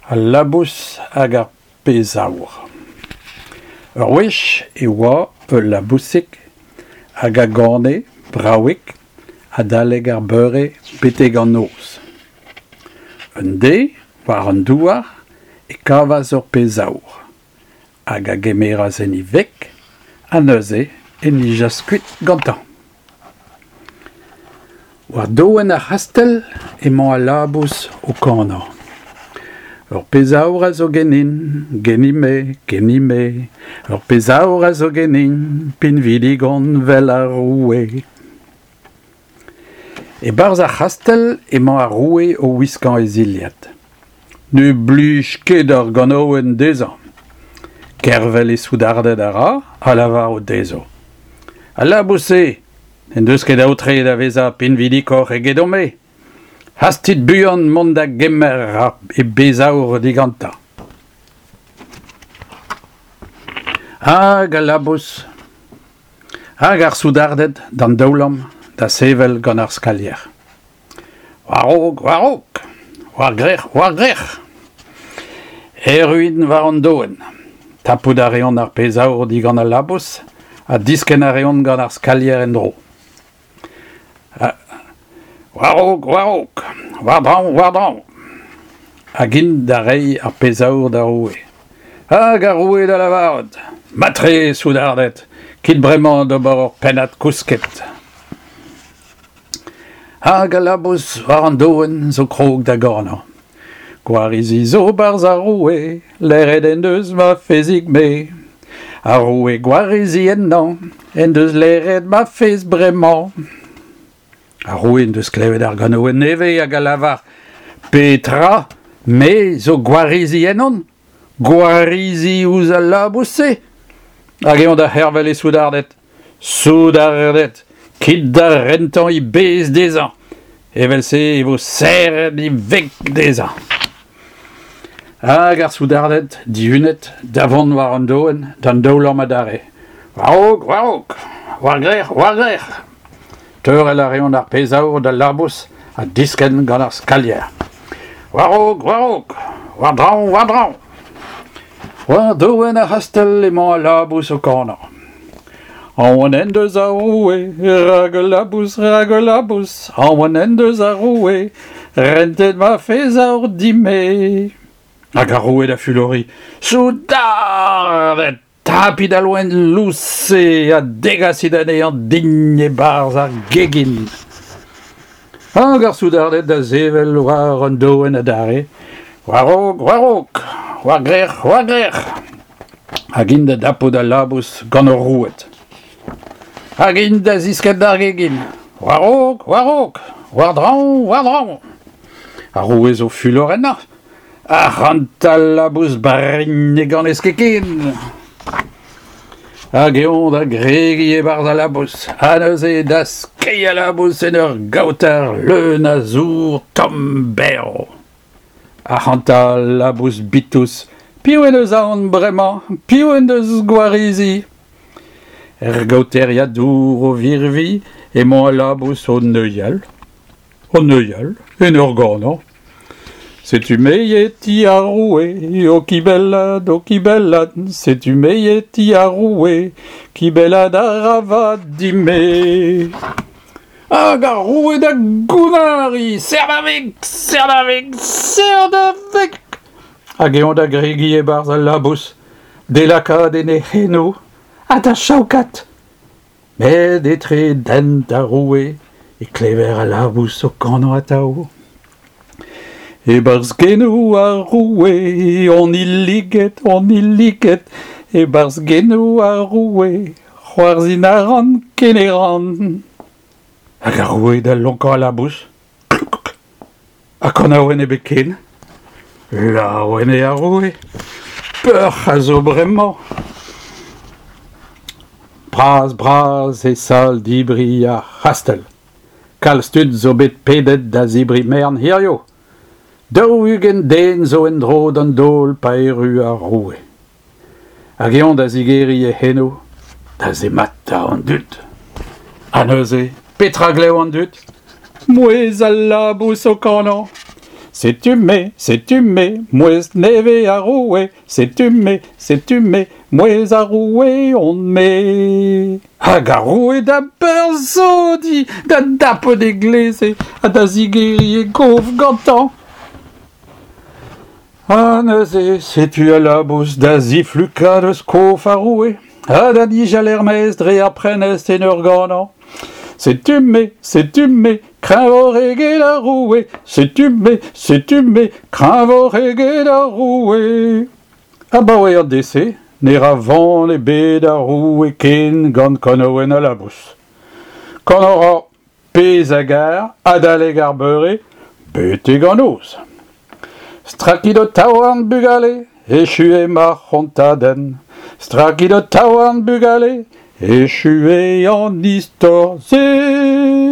Al labous hag ar pezh aour. Ur wech e oa ul labousig hag a gane bravik adalek ar beure betek an noz. Un deiz, war an douar, e kavas ur pezh aour hag a gemeras en e veg ha neuze e nijas kuit gantañ. War doenn ar c'hastell emañ al labous o kanañ. Ur pezh aour a zo ganin, ganin-me, ganin-me, ur pezh aour a zo ganin, pinvidik on 'vel ar roue. E-barzh ar c'hastell emañ ar roue o wiskañ e zilhad. Ne blij ket ar ganaouenn dezhañ. Gervel e soudarded a ra ha lavarout dezho: Al labous-se n'en deus ket aotre da vezañ pinvidikoc'h egedomp-me. Hastit buan mont da gemer e bezh aour digantañ. Hag al labous hag ar soudarded d'an daoulamm da sevel gant ar skalier. War-raok, war-raok, war-grec'h, war-grec'h. Erru int war an doenn. Tapout a reont ar pezh aour digant al labous ha diskenn a reont gant ar skalier en-dro. War-raok, war-raok, war-draoñ, war-draoñ. Hag int da reiñ ar pezh aour d'ar roue. Hag ar roue da lavarout Matre, soudarded, kit bremañ d'ober ur pennad kousket. Hag al labous war an doenn zo krog da ganañ. Gwarizi zo 'barzh ar roue, laeret en deus ma fezhig-me. Ar roue gwarizi ennañ en deus laeret ma fezh bremañ. Ar roue en deus klevet ar ganaouenn nevez hag a lavar Petra? Me zo gwarizi ennon? Gwarizi ouzh al labous-se? Hag eñ da c'hervel e soudarded. Soudarded, kit da rentañ e bezh dezhañ. Evel-se e vo serret e veg dezhañ. Hag ar soudarded, dihunet, da vont war an doenn d'an daoulamm adarre. War-raok, war-raok, war-grec'h, war-grec'h. Teurel a reont ar pezh aour d'al labous ha diskenn gant ar skalier. War-raok, war-raok, war-draoñ, war-draoñ. War doenn ar c'hastell emañ al labous o kanañ. Aon en deus ar roue, rak ul labous, rak ul labous, aon en deus ar roue, rentet ma fezh aour din-me. Hag ar roue da fuloriñ, Soudarded! Tapit al loen lous-se ha degasit anezhañ din e-barzh ar gegin. Hag ar soudarded da sevel war an doenn adarre. War-raok, war-raok, war-grec'h, war-grec'h. Hag int da dapout al labous gant o roued. Hag int da ziskenn d'ar gegin. War-raok, war-raok, war-draoñ, war-draoñ. Ar roue zo fulor ennañ. Ac'hanta labous barregn ne ganez ket ken. Hag eñ da gregiñ e-barzh al labous, ha neuze da skeiñ al labous en ur gaoter leun a zour tomm-berv. Ac'hanta labous bitous, piv en deus aon bremañ? Piv en deus gwarizi? Er gaoteriad dour o virviñ emañ al labous o neuial. O neuial, en ur ganañ. Setu me e ti ar roue, o kibellat, o kibellat, setu me e ti ar roue, kibellat a ra vat din-me. Hag ar roue da gounnariñ, serr da veg, serr da veg, serr da veg! Hag eñ da gregiñ e-barzh al labous, d'e lakaat en e c'henoù ha da chaokat. Met etre dent ar roue e klever al labous o kanañ atav. E-barzh genoù ar roue on hilliget, on hilliget, e-barzh genoù ar roue, c'hoarzhin a ran ken e ran. Hag ar roue da lonkañ al labous. Ha kanaouenn ebet ken. Laouen eo ar roue. Peoc'h a zo bremañ. Bras-bras e sal-debriñ ar c'hastell. Kalz tud zo bet pedet da zebriñ merenn hiziv. 40 den zo en-dro d'an daol pa erru ar roue. Hag eñ da zigeriñ e c'henoù da zemata an dud. Ha neuze, petra 'glev an dud? Mouezh al labous o kanañ. Setu-me, setu-me, mouezh nevez ar roue, setu-me, setu-me, mouezh ar roue on-me. Hag ar roue da beurzodiñ, da dapout e gleze ha da zigeriñ e gof gantañ. Ha neuze, setu al labous da ziflukañ eus kof ar roue ha da nijal er-maez dre ar prenestr en ur ganañ. Setu-me, setu-me, kreñvoc'h eget ar roue, setu-me, setu-me, kreñvoc'h eget ar roue. Abaoe an deiz-se ne ra van ebet ar roue ken gant kanaouenn al labous. Kanañ 'ra pezh a gar adalek ar beure betek an noz. Strakit ho taouarn bugale, echu eo ma c'hontadenn. Strakit ho taouarn bugale, echu eo an istor-se.